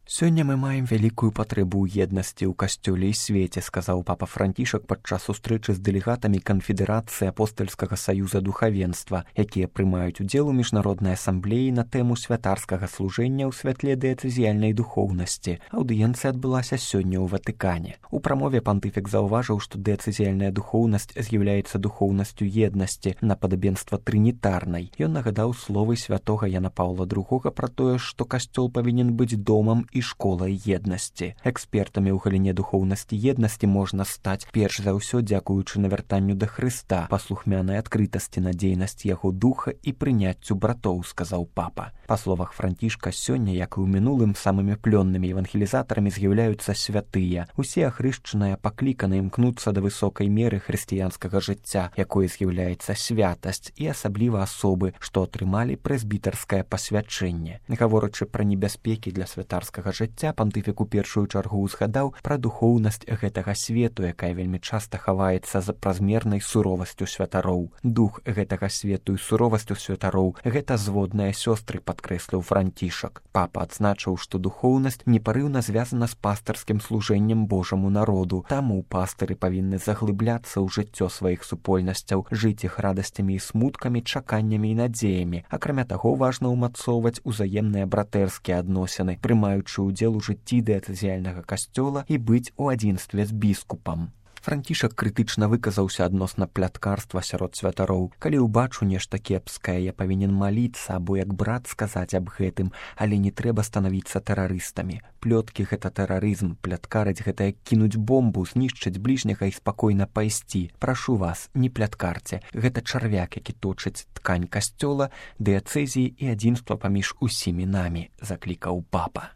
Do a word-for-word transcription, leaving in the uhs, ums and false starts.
Сёння мы маем вялікую патрэбу ў еднасці ў касцёле і свеце, сказаў папа Францішак падчас сустрэчы з дэлегатамі канфедэрацыі апостальскага саюза духавенства, якія прымаюць удзел у міжнароднай асамблеі на тэму святарскага служэння ў святле дыяцэзіяльнай духоўнасці. Аўдыенцыя адбылася сёння ў Ватыкане. У прамове пантыфік заўважыў, што дыяцэзіяльная духоўнасць з'яўляецца духоўнасцю еднасці на падабенства трынітарнай. Ён нагадаў словы святога Яна Паўла другога пра тое, што касцёл павінен быць домам і школай еднасці. Экспертамі ў галіне духоўнасці еднасці можна стаць перш за ўсё дзякуючы навяртанню да Хрыста, паслухмянай адкрытасці на дзейнасць яго духа і прыняццю братоў, сказаў папа. Па словах Францішка, сёння, як і ў мінулым, самымі плённымі евангелізатарамі з'яўляюцца святыя. Усе ахрышчаныя пакліканы імкнуцца да высокай меры хрысціянскага жыцця, якой з'яўляецца святасць, і асабліва асобы, што атрымалі прэзбітарскае пасвячэнне. Гаворачы пра небяспекі для святарскага жыцця, пантыфік у першую чаргу ўзгадаў пра духоўнасць гэтага свету, якая вельмі часта хаваецца за празмернай суровасцю святароў. Дух гэтага свету і суровасцю святароў — гэта зводныя сёстры, падкрэсліў Францішак. Папа адзначыў, што духоўнасць непарыўна звязана з пастырскім служэннем Божаму народу. Таму пастыры павінны заглыбляцца ў жыццё сваіх супольнасцяў, жыць іх радасцямі і смуткамі, чаканнямі і надзеямі. Акрамя таго, важна ўмацоўваць узаемныя братэрскія адносіны, прымаючы удзел у жыцці дыяцэзіяльнага касцёла і быць у адзінстве з біскупам. Францішак крытычна выказаўся адносна пляткарства сярод святароў. Калі ўбачу нешта кепскае, я павінен маліцца або як брат сказаць аб гэтым, але не трэба станавіцца тэрарыстамі. Плёткі — гэта тэрарызм, пляткарыць — гэта як кінуць бомбу, знішчыць бліжняга і спакойна пайсці. Прашу вас, не пляткарце. Гэта чарвяк, які точыць ткань касцёла, дыяцэзіі і адзінства паміж усімі намі, заклікаў папа.